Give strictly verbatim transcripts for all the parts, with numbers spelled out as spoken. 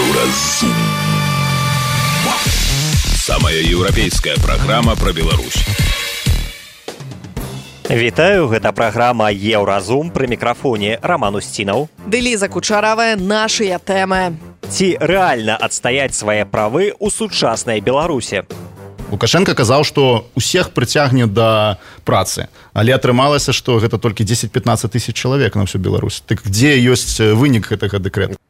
Еўразум. Самая еўрапейская праграма пра Беларусь. Вітаю, гэта праграма Еўразум, пры мікрафоне Роман Устінаў. Ды Ліза Кучаравая, нашыя тэмы. Ці рэальна адстаяць свае правы ў сучаснай Беларусі? Лукашенко казаў, што усіх прыцягне да працы, але атрымалася, што гэта толькі дзесяць-пятнаццаць тысяч чалавек на всю Беларусь. Так дзе ёсць вынік гэтага дэкрэту?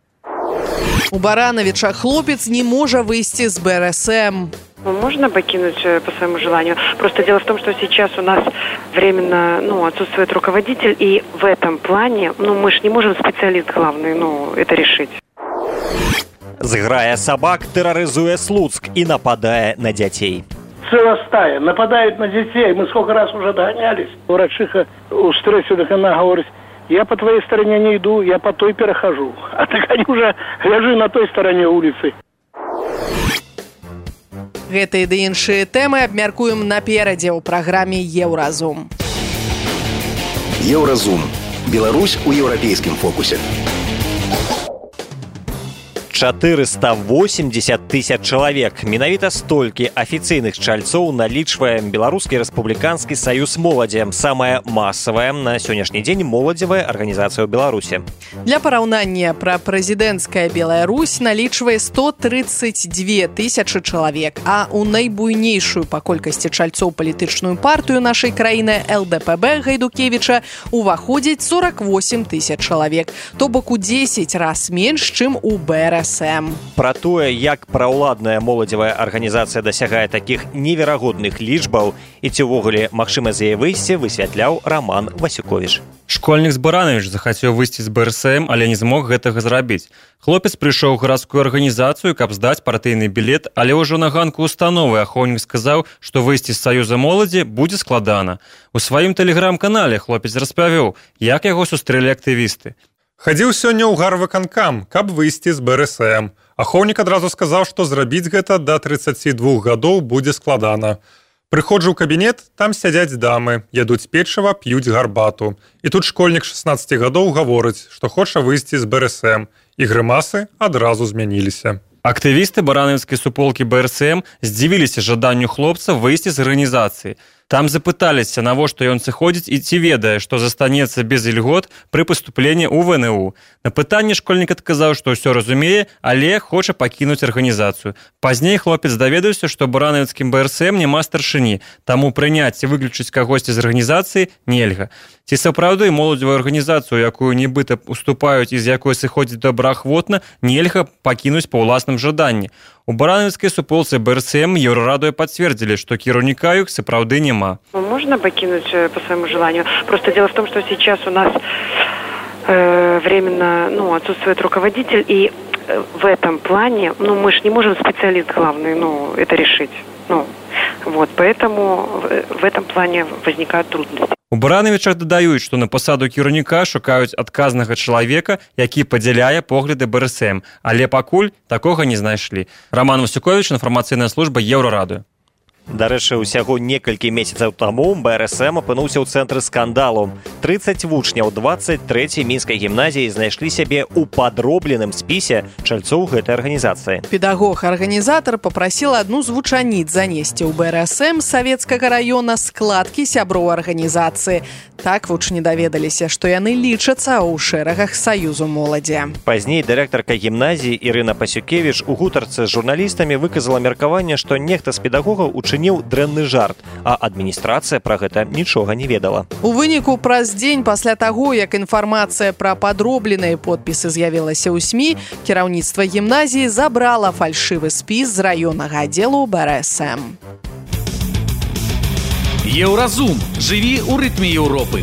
У Барановича хлопец не можа выйсці з бэ эр эс эм. Можно покинуть по своему желанию. Просто дело в том, что сейчас у нас временно ну, отсутствует руководитель, и в этом плане, ну, мы же не можем специалист главный, ну, это решить. Зграя собак терроризуе Слуцк и нападая на детей. Целая стая нападают на детей. Мы сколько раз уже догонялись. Врачиха у стрессе она говорит: я по твоей стороне не иду, я по той перехожу. А так они уже ляжи на той стороне улицы. Гэтыя ды іншыя тэмы абмяркуем наперадзе ў праграме Еўразум. Еўразум. Беларусь у еўрапейскім фокусе. чатырыста восемьдесят тысяч чалавек. Менавіта столькі афіцыйных чальцоў налічвае Беларускі рэспубліканскі саюз моладзі, самая масавая на сённяшні дзень моладзевая арганізацыя ў Беларусі. Для параўнання, прапрэзідэнцкая Беларусь налічвае сто тридцать две тысячы чалавек, а ў найбуйнейшую па колькасці чальцоў палітычную партыю нашай краіны эл дэ пэ бэ Гайдукевіча уваходзіць сорок восемь тысяч чалавек, то бок у дзесяць раз менш, чым у бэ эр эс эм. Пра тое, як праўладная моладзевая арганізацыя дасягае такіх неверагодных лічбаў і ці ўвогуле магчыма з яе выйсці, высвятляў Роман Васюковіч. Школьнік з Баранович захацеў выйсці з бэ эр эс эм, але не змог гэтага зрабіць. Хлопец прыйшоў у гарадскую арганізацыю, каб здаць партыйны білет, але ўжо на ганку установы ахоўнік сказаў, што выйсці з саюза моладзі будзе складана. У сваім тэлеграм-канале хлопец распавёў, як яго сустрэлі актывісты. Хадзіў сёння ў гарвыканкам, каб выйсці з бэ эр эс эм. Ахоўнік адразу сказаў, што зрабіць гэта да трыццаці двух гадоў будзе складана. Прыходжу ў кабінет, там сядзяць дамы, ядуць печыва, п'юць гарбату. І тут школьнік шаснаццаці гадоў гаворыць, што хоча выйсці з бэ эр эс эм. І грымасы адразу змяніліся. Актывісты баранаўскай суполкі бэ эр эс эм здзівіліся жаданню хлопца выйсці з арганізацыі. Там запыталіся, навошта ён сыходзіць і ці ведае, што застанецца без ільгот пры паступленні ў вэ эн у. На пытанне школьнік адказаў, што ўсё разумее, але хоча пакінуць арганізацыю. Пазней хлопец даведаўся, што баранаўскім бэ эр эс эм няма старшыні, таму прыняць ці выключыць кагосьці з арганізацыі нельга. Ці сапраўды моладзевую арганізацыю, якую нібыта уступаюць і з якой сыходзіць добраахвотна, нельга пакінуць па ўласным жаданні. У барановскай суполцы бэ эр эс эм Еўрарадою пацвердзілі, што кіраўніка іх сапраўды няма. Можно покинуть по своему желанию. Просто дело в том, что сейчас у нас э, временно ну, отсутствует руководитель, и в этом плане, ну, мы же не можем специалист главный, ну, это решить. Ну, вот, поэтому в этом плане возникают трудности. У Барановичах дадаюць, што на пасаду кіраўніка шукаюць адказнага чалавека, які падзяляе погляды бэ эр эс эм, але пакуль такога не знайшлі. Роман Васюковіч, інфармацыйная служба Еўрарадыё. Дарэчы, усяго некалькі месяцаў таму бэ эр эс эм апынуўся ў цэнтры скандалу. трыццаць вучняў дваццаць трэцяй мінскай гімназіі знайшлі сябе ў падробленым спісе чальцоў гэтай арганізацыі. Педагог-арганізатар папрасіл адну з вучаніц занесці ў бэ эр эс эм савецкага раёна складкі сяброў арганізацыі. Так вучні даведаліся, што яны лічацца ў шэрагах саюзу моладзі. Пазней дырэктарка гімназіі Ірына Пасюкевіч у гутарцы з журналістамі выказала меркаванне, што нехта з педагогаў учыніў дрэнны жарт, а адміністрацыя пра гэта нічога не ведала. У выніку праз дзень пасля таго, як інфармацыя пра падробленыя подпісы з'явілася ў эс эм і, кіраўніцтва гімназіі забрала фальшывы спіс з раённага аддзелу бэ эр эс эм. Еўразум. Жыві ў рытме Еўропы.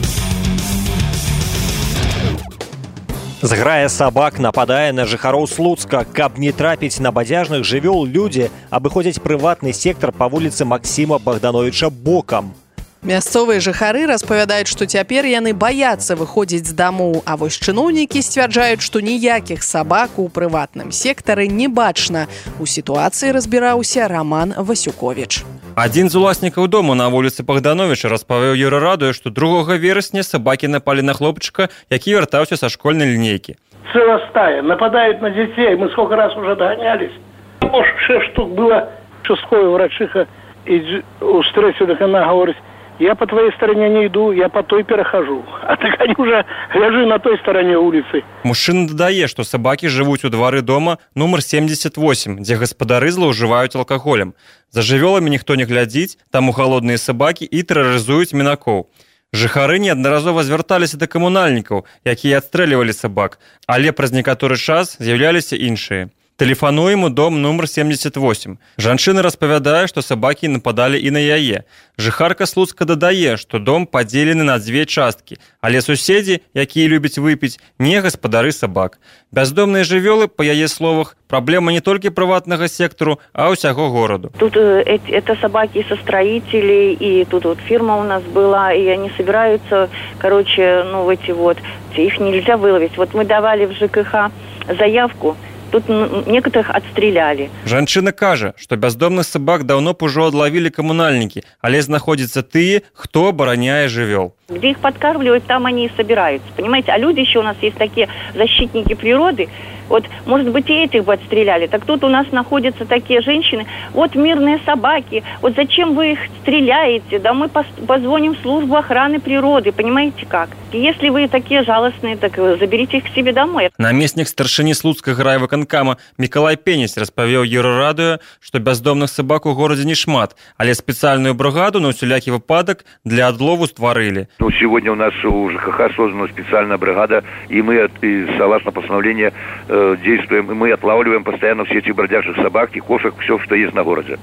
Зграя сабак нападае на жыхароў Слуцка. Каб не трапіць на бадзяжных жывёл, людзі абыходзяць прыватны сектар па вуліцы Максіма Богдановича бокам. Мясцовыя жыхары распавядаюць, што цяпер яны баяцца выходзіць з дамоў, а вось чыноўнікі сцвярджаюць, што ніякіх сабак у прыватным сектары не бачна. У сітуацыі разбіраўся Роман Васюковіч. Адзін з уласнікаў дому на вуліцы Богдановича распавёў Еўрарадыё, што другога верасня сабакі напалі на хлопчыка, які вяртаўся са школьнай лінейкі. целая стая, нападают на детей. Мы сколько раз уже догонялись. Может, шесть штук было, шестое врачиха, и у стрессе, так она говорит, я по твоей стороне не иду, я по той перахожу. А так они уже ляжи на той стороне улицы. Мужчына дадае, што сабакі жывуць у двары дома нумар семьдесят восемь, дзе гаспадары злоўжываюць алкаголем. За жывёламі ніхто не глядзіць, таму халодныя сабакі і тэрарызуюць мінакоў. Жыхары неаднаразова звярталіся да камунальнікаў, якія адстрэльвалі сабак, але праз некаторы час з'яўляліся іншыя. Тэлефануем у дом нумар семьдесят восемь. Жанчына распавядае, што сабакі нападалі і на яе. Жыхарка Слуцка дадае, што дом падзелены на дзве часткі, але суседзі, якія любяць выпіць, не гаспадары сабак. Бяздомныя жывёлы, па яе словах, праблема не толькі прыватнага сектору, а ўсяго гораду. Тут э, это собаки со строителей, и тут вот фирма у нас была, и они собираются, короче, ну, в эти вот, их нельзя выловить. Вот мы давали в ЖКХ заявку, тут некоторых отстреляли. Жанчына кажа, што бяздомных сабак даўно б ужо адлавілі камунальнікі, але знаходзяцца тыя, хто абараняе жывёл. Где их подкармливают, там они и собираются, понимаете? А люди еще у нас есть такие защитники природы. Вот, может быть, и этих бы отстреляли. Так тут у нас находятся такие женщины. Вот мирные собаки. Вот зачем вы их стреляете? Да мы позвоним в службу охраны природы. Понимаете как? Если вы такие жалостные, так заберите их к себе домой. Намеснік старшыні Слуцкага райвыканкама Мікалай Пенесь распавёў Еўрарадыё, што бяздомных сабак у горадзе не шмат, але спецыяльную бригаду на усялякі выпадак для адлову стварылі. Ну, сегодня у нас у ЖКХ создана специальная бригада, и мы, и, согласно постановлению, э, действуем, и мы отлавливаем постоянно все эти бродячих собак и кошек, все, что есть на городе.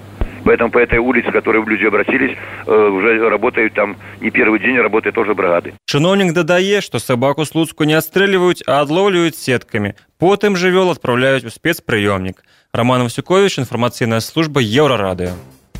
Поэтому по этой улице, к которой люди обратились, э, уже работают там не первый день, работают тоже бригады. Чыноўнік дадае, што сабаку Слуцку не адстрэльваюць, а адлоўліваюць сеткамі. Потым жывёл адпраўляюць у спецпрыёмнік. Роман Васюкович, інфармацыйная служба Еўрарадыё.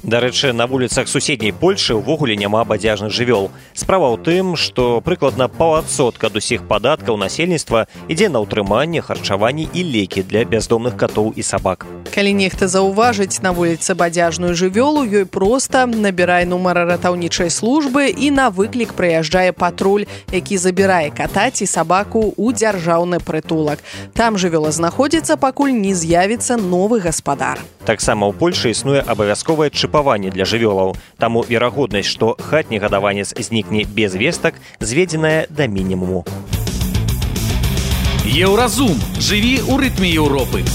Дарэчы, на вуліцах суседняй Польшы ўвогуле няма бадзяжных жывёл. Справа ў тым, што прыкладна паўадсотка ад усіх падаткаў насельніцтва ідзе на ўтрыманне, харчаванне і лекі для бяздомных катоў і сабак. Калі нехта заўважыць на вуліцы бадзяжную жывёлу, ёй проста набірай нумар ратаўнічай службы і на выклік прыязджае патруль, які забірае ката ці сабаку ў дзяржаўны прытулак. Там жывёла знаходзіцца, пакуль не з'явіцца новы гаспадар. Таксама ў Польшы існуе абавязковае чыпаванне для жывёлаў. Таму верагоднасць, што хатні гадаванец знікне без вестак, зведзеная да мінімуму. Еўразум. Жыві ў рытме Еўропы.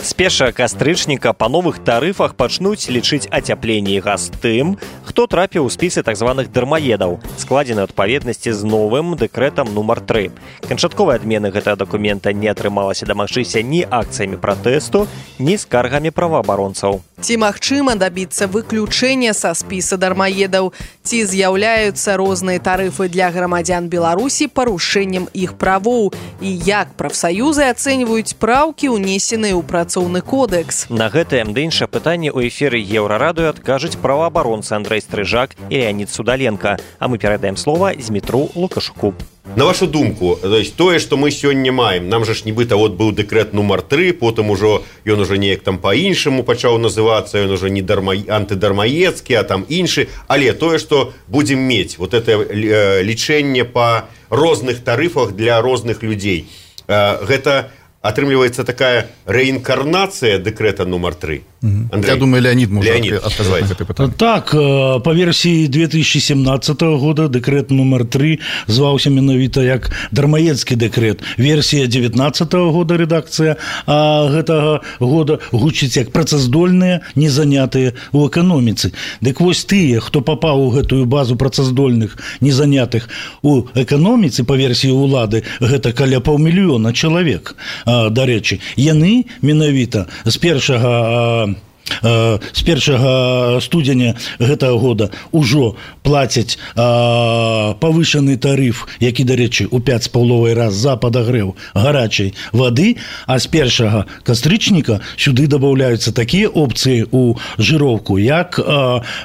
З першага кастрычніка па новых тарыфах пачнуць лічыць ацяпленне і газ тым, хто трапіў у спісы так званых дармаедаў, складзены ў адпаведнасці з новым дэкрэтам нумар тры. Канчатковай адмены гэтага дакумента не атрымалася дамагчыся ні акцыямі пратэсту, ні скаргамі праваабаронцаў. Ці магчыма дабіцца выключэння са спіса дармаедаў? Ці з'яўляюцца розныя тарыфы для грамадзян Беларусі парушэннем іх правоў? І як прафсаюзы ацэньваюць праўкі, унесеныя ў працоўны кодекс? На гэтае ды іншае пытанне ў эфіры Еўрарадыё адкажуць праваабаронцы Андрэй Стрыжак і Леонид Судаленко. А мы перадаем слова Змітру Лукашуку. На вашу думку, то есть тое, што мы сёння маем, нам жа ж нібыта вот быў дэкрэт нумар тры, потым ужо ён уже неяк там па-іншаму пачаў называцца, ён уже не дарма... антыдармаецкі, а там іншы, але тое, што будзем мець вот это лічэнне па розных тарыфах для розных людзей, гэта атрымліваецца такая рэінкарнацыя дэкрэта нумар тры. Андрей. Я думаю, Леонид может Леонид. отказать это питание. Так, по версии две тысячи семнадцатого года дэкрэт нумар тры зваўся менавіта як дармаедскі дэкрэт. Версія девятнадцатого года редакцыя а гэтага года гучыць як працаздольныя, незанятыя ў эканоміцы. Дык вось тыя, хто папаў у гэтую базу працаздольных, незанятых у эканоміцы, па версіі ўлады, гэта каля паўмільёна чалавек. Дарэчы, яны менавіта з першага з першага студзеня гэтага года ўжо плацяць павышаны тарыф, які, дарэчы, у пяць з паловай раз за падагрэў гарачай вады, а з першага кастрычніка сюды дабаўляюцца такія опцыі ў жыроўку, як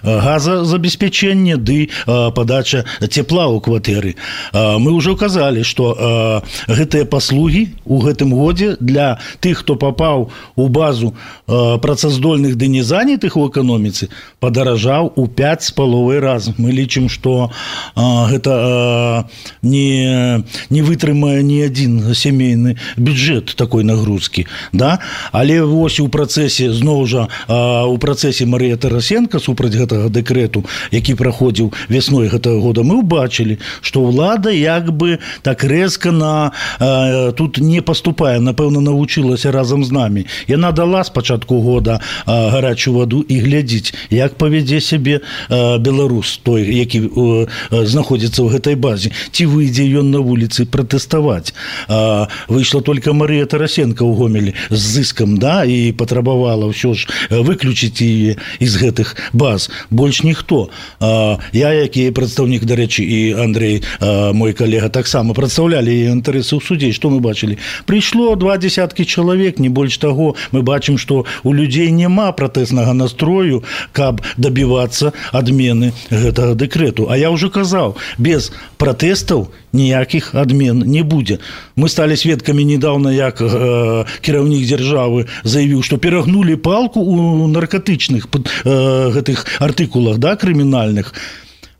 газазабеспячэнне ды падача цепла ў кватэры. Мы ўжо казалі, што гэтыя паслугі ў гэтым годзе для тых, хто папаў у базу працаздольных афіцыйных ды незанятых у эканоміцы падаражаў у пяць з паловай раз. Мы лічым, што а, гэта а, не, не вытрымае ні адзін сямейны бюджэт такой нагрузкі. Да? Але вось у працэсе, зноў жа, а, у працэсе Марыя Тарасенко супраць гэтага дэкрэту, які праходзіў вясной гэтага года, мы ўбачылі, што ўлада як бы так рэзка на, а, тут не паступае, напэўна, навучылася разам з намі. Яна дала з пачатку года а, гарачую ваду і глядзіць, як павядзе сябе а, беларус, той, які а, знаходзіцца ў гэтай базе. Ці выйдзе ён на вуліцы пратэставаць. А, выйшла толькі Марыя Тарасенко ў Гомелі з зыскам, да, і патрабавала ўсё ж выключыць яе з гэтых баз. Больш ніхто. А, я, які прадстаўнік, дарэчы, і Андрей, а, мой калега, таксама прадстаўлялі яе інтарэсы ў судзе. Што мы бачылі? Прыйшло два десяткі чалавек, не больш таго. Мы бачым, што у людзей няма пратэснага настрою, каб дабівацца адмены гэтага дэкрэту. А я ўжо казаў, без пратэстаў ніякіх адмен не будзе. Мы сталі сведкамі недавно, як э, кіраўнік дзяржавы заявіў, што перагнулі палку ў наркотычных э, гэтых артыкулах, да, крымінальных.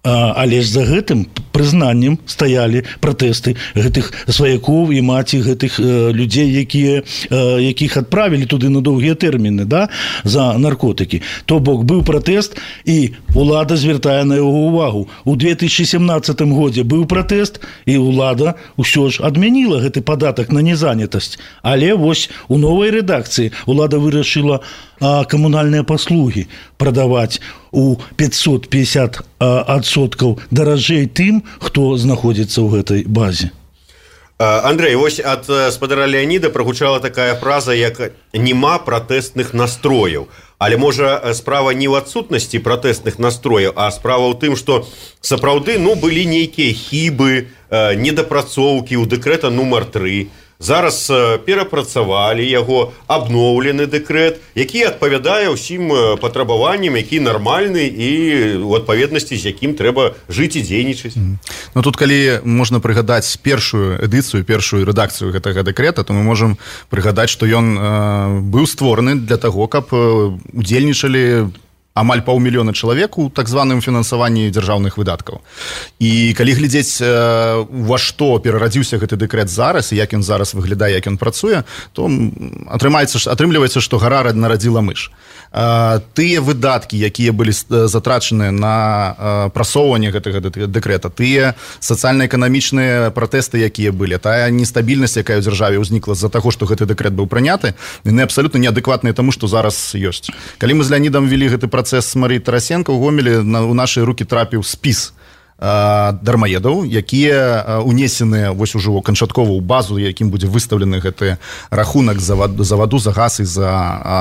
Але ж за гэтым прызнаннем стаялі пратэсты гэтых сваякоў і маці гэтых э, людзей, якія, э, якіх адправілі туды на доўгія тэрміны, да, за наркотыкі. То бок быў пратэст, і ўлада звяртае на яго ўвагу. У две тысячи семнадцатым годзе быў пратэст, і ўлада ўсё ж адмяніла гэты падатак на незанятасць. Але вось у новай рэдакцыі ўлада вырашыла а, камунальныя паслугі прадаваць у пятьсот пятьдесят адсоткаў даражэй тым, хто знаходзіцца ў гэтай базе. Андрей, вось ад спадара Леаніда прагучала такая фраза, як «нема пратэстных настрояў». Але, можа, справа не ў адсутнасці пратэстных настрояў, а справа ў тым, што сапраўды, ну, былі нейкія хібы, недапрацоўкі ў дэкрэта нумар тры. Зараз перапрацавалі яго, абноўлены дэкрэт, які адпавядае ўсім патрабаванням, які нармальны і ў адпаведнасці, з якім трэба жыць і дзейнічаць. Ну, тут, калі можна прыгадаць першую эдыцыю, першую рэдакцыю гэтага дэкрэта, то мы можам прыгадаць, што ён э, быў створаны для таго, каб удзельнічалі амаль паўмільёна чалавек у так званым фінансаванні дзяржаўных выдаткаў. І калі глядзець, ва што перарадзіўся гэты дэкрэт зараз, і як ён зараз выглядае, як ён працуе, то атрымаецца, атрымліваецца, што гара нарадзіла мыш. Тыя выдаткі, якія былі затрачаны на прасоўванне гэтага дэкрэта, тыя сацыяльна-эканамічныя пратэсты, якія былі, тая нестабільнасць, якая ў дзяржаве ўзнікла з-за таго, што гэты дэкрэт быў прыняты, яны абсалютна неадэкватныя таму, што зараз ёсць. Калі мы з Леанідам вялі гэты працэс з Марыі Тарасенко, ў Гомелі на, у нашыя рукі трапіў спіс дармаедаў, якія унесеныя вось ужо канчаткова ў базу, якім будзе выстаўлены гэты рахунак за ваду, за ваду, за газ і за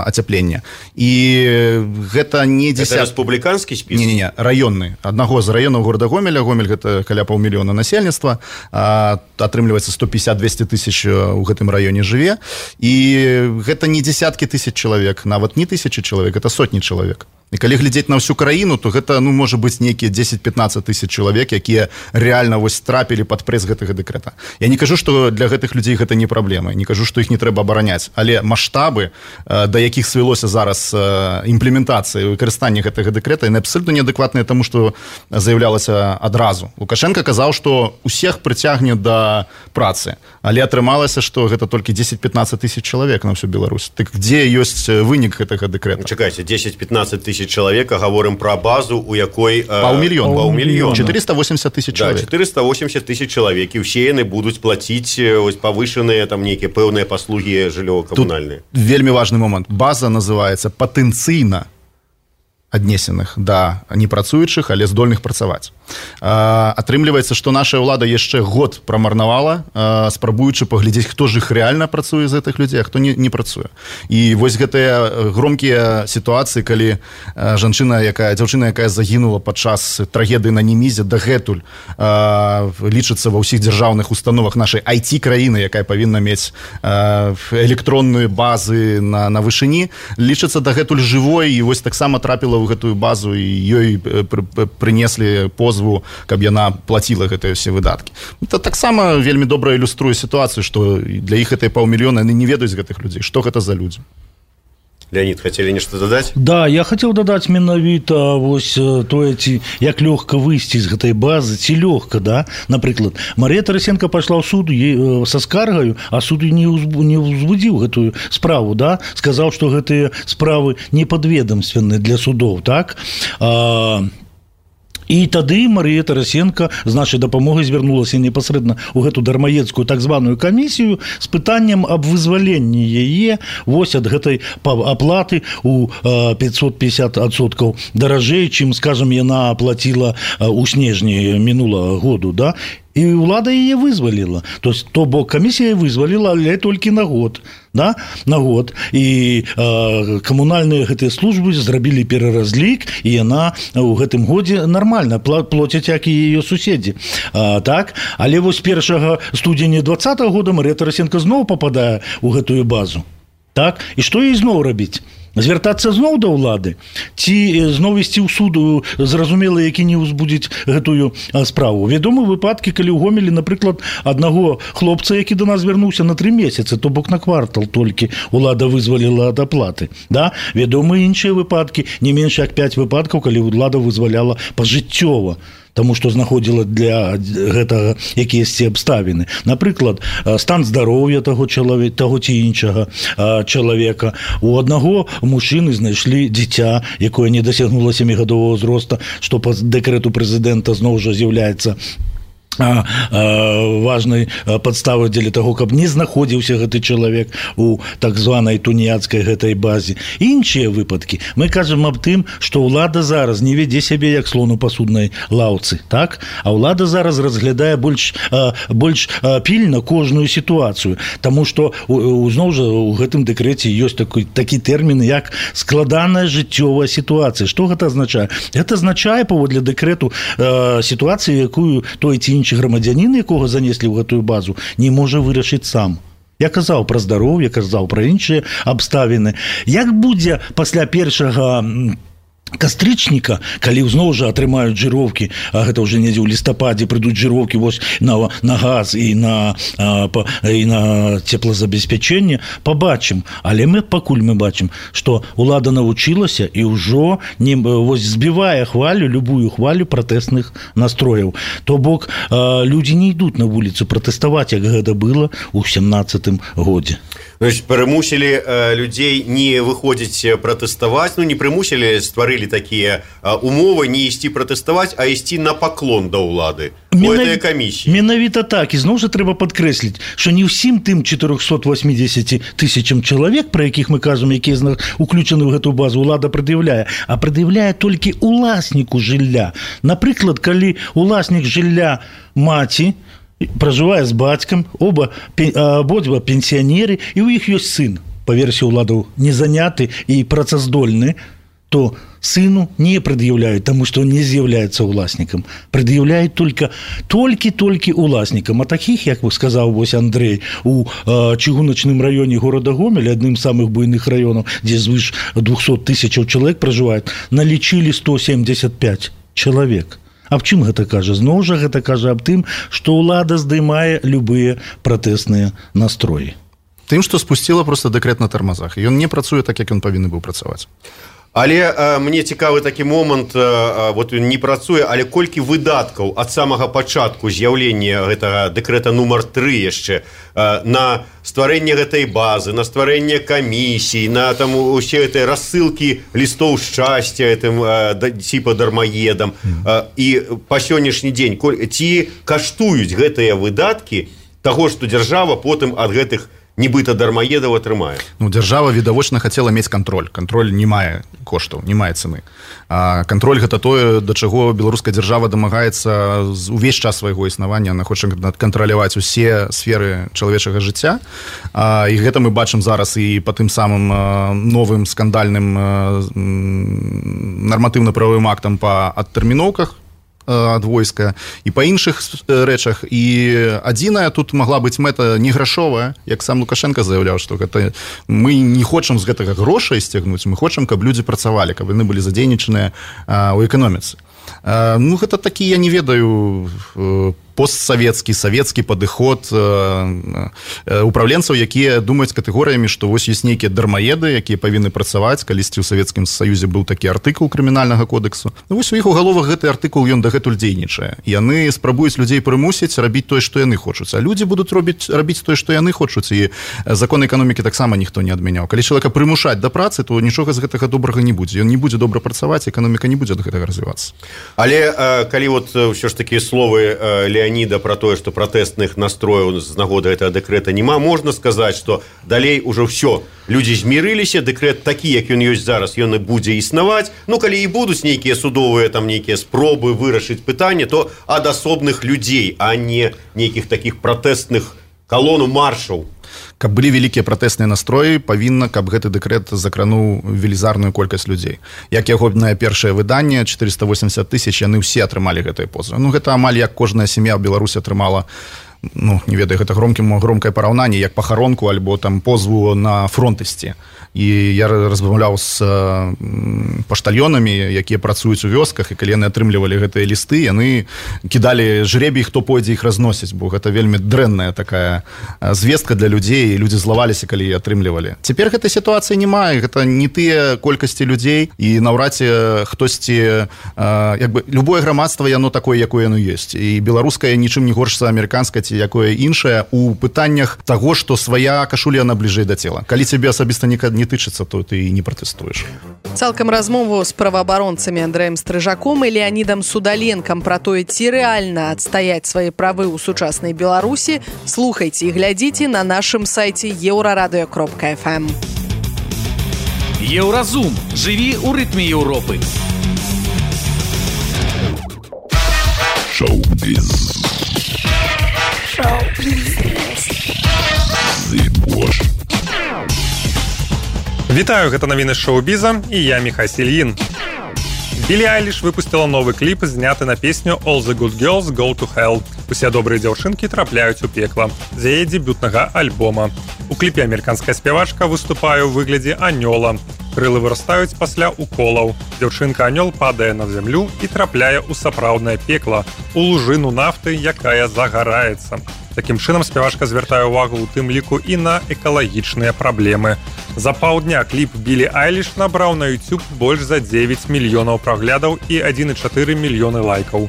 ацяпленне. І гэта не десят... Это рэспубліканскі спіс? Не-не-не, раённы. Аднаго з раёнаў горада Гомеля. Гомель гэта каля паўмільёна насельніцтва. Атрымліваецца сто пятьдесят - двести тысяч у гэтым раёне жыве. І гэта не десяткі тысяч чалавек, нават не тысячы чалавек, это сотні чалавек. І калі глядзець на ўсю краіну, то гэта, ну, можа быць нейкія дзесяць - пятнадцать тысяч чалавек, якія реально вось трапілі пад прэс гэтага дэкрэта. Я не кажу, што для гэтых людзей гэта не праблема, не кажу, што іх не трэба абараняць, але маштабы, да якіх свялося зараз імплементацыя і выкарыстанне гэтага дэкрэта, яны абсалютна неадэкватныя таму, што заяўлялася адразу. Лукашенко казаў, што усіх прыцягне да працы, але атрымалася, што гэта толькі дзесяць - пятнадцать тысяч чалавек на всю Беларусь. Так дзе ёсць вынік гэтага дэкрэта? Чакайце, дзесяць - пятнадцать тысяч чалавека, гаворым пра базу, у якой паўмільёна, паўмільёна. четыреста восемьдесят тысяч чалавек. Да, четыреста восемьдесят тысяч чалавек, і ўсе яны будуць плаціць ось павышаныя там нейкія пэўныя паслугі жыллёва-камунальныя. Тут вельмі важны момант. База называецца патэнцыйна аднесеных да непрацуючых, але здольных працаваць. Атрымліваецца, што наша ўлада яшчэ год прамарнавала, спрабуючы паглядзець, хто ж іх рэальна працуе з гэтых людзей, а хто не, не працуе. І вось гэтыя громкія сітуацыі, калі жанчына, якая, дзяўчына, якая загінула падчас трагедыі на Немізе, дагэтуль лічыцца ва ўсіх дзяржаўных установах нашай ай ти-краіны, якая павінна мець электронныя базы на, на вышыні, лічыцца дагэтуль жывой, і вось таксама трапіла ў гэтую базу, і ёй прынеслі позву, каб яна плаціла гэтыя ўсе выдаткі. Это таксама вельмі добра ілюструе сітуацыю, што для іх гэтыя паўмільёна, яны не ведаюць гэтых людзей, што гэта за людзі. Леонид, хотели нешта дадаць? Да, я хацеў дадаць менавіта вось тое, ці як лёгка выйсці з гэтай базы, ці лёгка, да? Напрыклад, Марыя Тарасенко пайшла ў суд са скаргаю, а суд не ўзвудзіў гэтую справу, да? Сказаў, што гэтыя справы непадведамственныя для судоў, так? А... І тады Марія Тарасенко з нашай дапамогай звярнулася непасрэдна ў гэту дармаедскую так званую камісію з пытаннем аб вызваленні яе вось ад гэтай аплаты у пятьсот пятьдесят адсоткаў даражэй, чым, скажам, яна аплаціла ў снежні мінулага году, да? І ўлада яе вызваліла. То есть, то бок камісія вызваліла, але толькі на год, да? На год. І э, камунальныя гэтыя службы зрабілі пераразлік, і яна ў гэтым годзе нармальна плоцяць, як і яе суседзі. А, так? Але вось першага студзеня двадцатага года Марія Тарасенко зноў пападае ў гэтую базу. Так? І што ёй зноў рабіць? Звяртацца зноў да ўлады, ці зноў ісці ў суд, зразумела, які не ўзбудзіць гэтую справу. Вядомы выпадкі, калі ў Гомелі, напрыклад, аднаго хлопца, які да нас вярнуўся на тры месяцы, то бок на квартал толькі ўлада вызваліла ад аплаты. Да? Вядомы іншыя выпадкі, не менш як пяць выпадкаў, калі ўлада вызваляла пажыццёва, таму што знаходзіла для гэтага якіясьці абставіны. Напрыклад, стан здароўя таго чалавека, таго ці іншага чалавека. У аднаго мужчыны знайшлі дзіця, якое не дасягнула сямігадовага ўзроста, што па дэкрэту прэзідэнта зноў жа з'яўляецца А, а, важнай падставы дзеля таго, каб не знаходзіўся гэты чалавек у так званай туніяцкай гэтай базе. Іншыя выпадкі. Мы кажам аб тым, што ўлада зараз не вядзе сябе як слон у пасуднай лаўцы, так? А ўлада зараз разглядае больш, а, больш а, пільна кожную сітуацыю, таму што зноў жа у гэтым дэкрэце ёсць такі, такі тэрмін, як складаная жыццёвая сітуацыя. Што гэта азначае? Гэта азначае, паводле дэкрэту, а, сітуацыю, якую той ці інші грамадзянін, якога занеслі ў гэтую базу, не можа вырашыць сам. Я казаў пра здароўе, казаў пра іншыя абставіны. Як будзе пасля першага кастрычніка, калі зноў жа атрымаюць жыроўкі, а гэта ўжо недзе ў лістападзе прыйдуць жыроўкі вось на, на газ і на, а, па, і на цеплазабеспячэнне, пабачым. Але мы пакуль мы бачым, што ўлада навучылася і ўжо не, вось, збівае хвалю, любую хвалю пратэсных настрояў. То бок а, людзі не ідуць на вуліцу пратэставаць, як гэта было ў сямнаццатым годзе. Значит, прымусілі э, людзей не выходзіць пратэставаць, ну не прымусілі, стварылі такія э, умовы не ісці пратэставаць, а ісці на паклон да ўлады у этой камісіі. Менавіта так, і зноў жа трэба падкрэсліць, што не ўсім тым чатырохсот восьмідзесяці тысячам чалавек, пра якіх мы кажам, якія уключаны ў гэту базу, ўлада прад'яўляе, а прад'яўляе толькі уласніку жылля. Напрыклад, калі уласнік жылля маці пражывае з бацькам, оба абодва пенсіянеры, і ў іх ёсць сын, па версіі ўладаў, не заняты і працаздольны, то сыну не прад'яўляюць, таму што не з'яўляецца ўласнікам. Прад'яўляюць толькі толькі-толькі ўласнікам. А такіх, як вы сказаў вось Андрэй, у э, чыгуначным раёне горада Гомель, адным з самых буйных раёнаў, дзе звыш двухсот тысячаў чалавек пражываюць, налічылі сто семьдесят пять чалавек. Аб чым гэта кажа? Зноў жа гэта кажа аб тым, што ўлада здымае любыя пратэсныя настроі. Тым, што спусціла проста дэкрэт на тармазах. Ён не працуе так, як ён павінны быў працаваць. Але э, мне цікавы такі момант, э, вот не працуе, але колькі выдаткаў ад самага пачатку з'яўлення гэтага дэкрэта нумар тры яшчэ э, на стварэнне гэтай базы, на стварэнне камісій, на там усе гэтыя рассылкі лістоў шчасця гэтым э, типа дармаедам. Э, і па сённяшні дзень ці каштуюць гэтыя выдаткі таго, што дзяржава потым ад гэтых нібыта дармаедаў атрымае. Ну, дзяржава відавочна хацела мець кантроль. Кантроль не мае коштаў, не мае цены. А кантроль гэта тое, да чаго беларуская дзяржава дамагаецца увесь час свайго існавання. Яна хоча кантраляваць усе сферы чалавечага жыцця. А, і гэта мы бачым зараз і па тым самым а, новым скандальным а, нарматыўна-правовым актам па адтэрміноўках ад войска і па іншых рэчах. І адзіная тут магла быць мэта не грашовая, як сам Лукашенко заяўляў, што гэта мы не хочам з гэтага грошай сцягнуць, мы хочам, каб людзі працавалі, каб яны былі задзейнічаныя ў эканоміцы. Ну, гэта такі, я не ведаю, постсавецкі, савецкі падыход упраўленцаў, якія думаюць катэгорыямі, што вось ёсць нейкія дармаеды, якія павінны працаваць, калісьці ў Савецкім Саюзе быў такі артыкул крымінальнага кодексу. Ну, вось у іх у галовах гэты артыкул, ён дагэтуль дзейнічае. Яны спрабуюць людзей прымусіць рабіць тое, што яны хочуць, а людзі будуць робіць рабіць тое, што яны хочуць, і закон эканомікі таксама ніхто не адмяняў. Калі чалавека прымушаць да працы, то нічога з гэтага добрага не будзе. Ён не будзе добра працаваць, эканоміка не будзе ад гэтага развівацца. Але калі вот ўсё ж такі словы Леаніда про тое, што пратэстных настрояў з нагоды гэтага дэкрэта няма, можна сказаць, што далей ужо ўсё. Людзі змірыліся, дэкрэт такі, як ён ёсць зараз, ён і будзе існаваць. Ну, калі і будуць нейкія судовыя, там нейкія спробы вырашыць пытанне, то ад асобных людзей, а не нейкіх такіх пратэстных калону маршаў. Каб былі вялікія пратэсныя настроі, павінна, каб гэты дэкрэт закрануў велізарную колькасць людзей. Як яго на першае выданне, чатырыста восемьдесят тысяч, яны ўсе атрымалі гэтыя позвы. Ну, гэта амаль як кожная сям'я ў Беларусі атрымала, ну, не ведаю, гэта громкім, громкае параўнанне, як пахаронку альбо там позву на фронт ісці. І я размаўляў з паштальёнамі, якія працуюць у вёсках, і калі яны атрымлівалі гэтыя лісты, яны кідалі жребій, хто пойдзе іх разносіць, бо гэта вельмі дрэнная такая звестка для людзей, і людзі злаваліся, калі атрымлівалі. Цяпер гэтай сітуацыі няма, гэта не тыя колькасці людзей, і наўрад ці хтосьці, як бы, любое грамадства, яно такое, якое яно ёсць. І беларускае нічым не горш за амерыканскае ці якое іншае у пытаннях таго, што свая кашуля, яна бліжэй да цела. Калі цябе асабіста не не тычыцца, то ты і не пратэстуеш. Цалкам размову з праваабаронцамі Андрэем Стрыжаком і Леанідам Судаленкам пра тое, ці рэальна адстаяць свае правы ў сучаснай Беларусі, слухайце і глядзіце на нашым сайце еўрарадыё кропка эф эм. Еўразум. Жыві ў рытме Еўропы. Шоу-біз. Шоу-біз. Зыбош. Вітаю, гэта навіны шоу-біза, і я Міхась Ільін. Білі Айліш выпусціла новы кліп, зняты на песню «All the good girls go to hell». Усе добрыя дзяўчынкі трапляюць у пекла з яе дэбютнага альбома. У кліпе амерыканская спявачка выступае ў выглядзе анёла. Крылы вырастаюць пасля уколаў. Дзяўчынка-анёл падае на зямлю і трапляе ў сапраўднае пекла, у лужыну нафты, якая загараецца. Такім чынам спявачка звяртае ўвагу ў тым ліку і на экалагічныя праблемы. За паўдня кліп Білі Айліш набраў на YouTube больш за дзевяць мільёнаў праглядаў і адзін і чатыры мільёны лайкаў.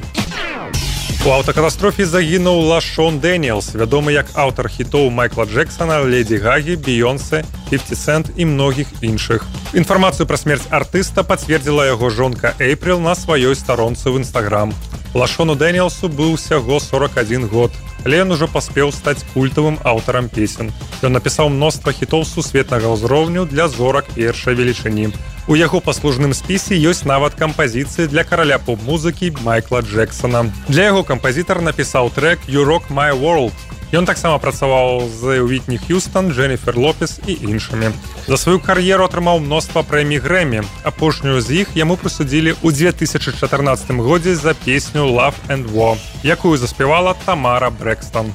У аўтакатастрофе загінуў Лашон Дэніелс, вядомы як аўтар хітоў Майкла Джексона, Леді Гагі, Бейонсе, фіфті Сент і многіх іншых. Інфармацыю пра смерць артыста пацвердзіла яго жонка Эйприл на сваёй старонцы ў Інстаграм. Лашону Дэніелсу быў усяго сорок адзін год, але ён ужо паспеў стаць культавым аўтарам песен. Ён напісаў мноства хітоў сусветнага ўзроўню для зорак першай велічыні. У яго паслужным спісе ёсць нават кампазіцыі для караля поп-музыкі Майкла Джексона. Для яго кампазітар напісаў трэк «You Rock My World». Ён таксама працаваў з Уітні Х'юстон, Дженніфер Лопес і іншымі. За сваю кар'еру атрымаў мноства прэмій Грэмі. Апошнюю з іх яму прысудзілі ў дзве тысячы чатырнаццатым годзе за песню «Love and War», якую заспявала Тамара Брэкстон.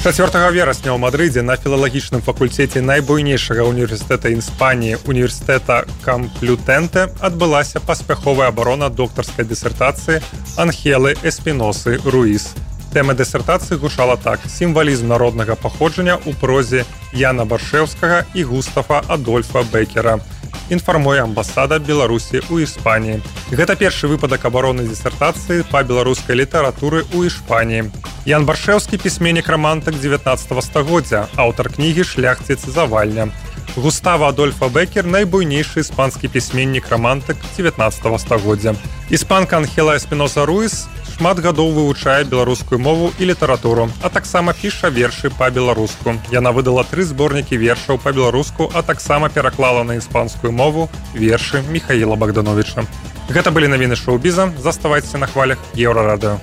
чацвёртага верасня ў Мадрыдзе на філалагічным факультэце найбуйнейшага універсітэта Іспаніі, універсітэта Камплютэнте, адбылася паспяховая абарона доктарскай дысертацыі Анхелы Эспіносы Руіс. Тэма дысертацыі гучала так: сімвалізм народнага паходжання ў прозе Яна Баршэўскага і Густафа Адольфа Бекера. Інфармуе амбасада Беларусі ў Іспаніі. Гэта першы выпадак абароны дысертацыі па беларускай літаратуры ў Іспаніі. Ян Баршэўскі пісьменнік-рамантык дзевятнаццатага стагоддзя, аўтар кнігі «Шляхціц завальня». Густава Адольфа Бекер – найбуйнейшы іспанскі пісьменнік-рамантык дзевятнаццатага стагоддзя. Іспанка Анхела Эспіноса Руіс шмат гадоў вывучае беларускую мову і літаратуру, а таксама піша вершы па-беларуску. Яна выдала тры зборнікі вершаў па-беларуску, а таксама пераклала на іспанскую мову вершы Міхаіла Богдановича. Гэта былі навіны шоу-біза. Заставайцеся на хвалях Еўрарадыё.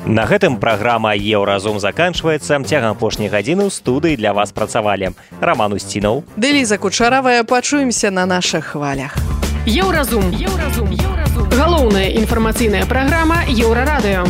На гэтым праграма «Еўразум» заканчваецца. Цягам апошняй гадзіны ў студыі для вас працавалі Раман Устінаў, Дэліза Кучаравая. Пачуемся на нашых хвалях. Еўразум. Еўразум. Еўразум. Галоўная інфармацыйная праграма Еўрарадыё.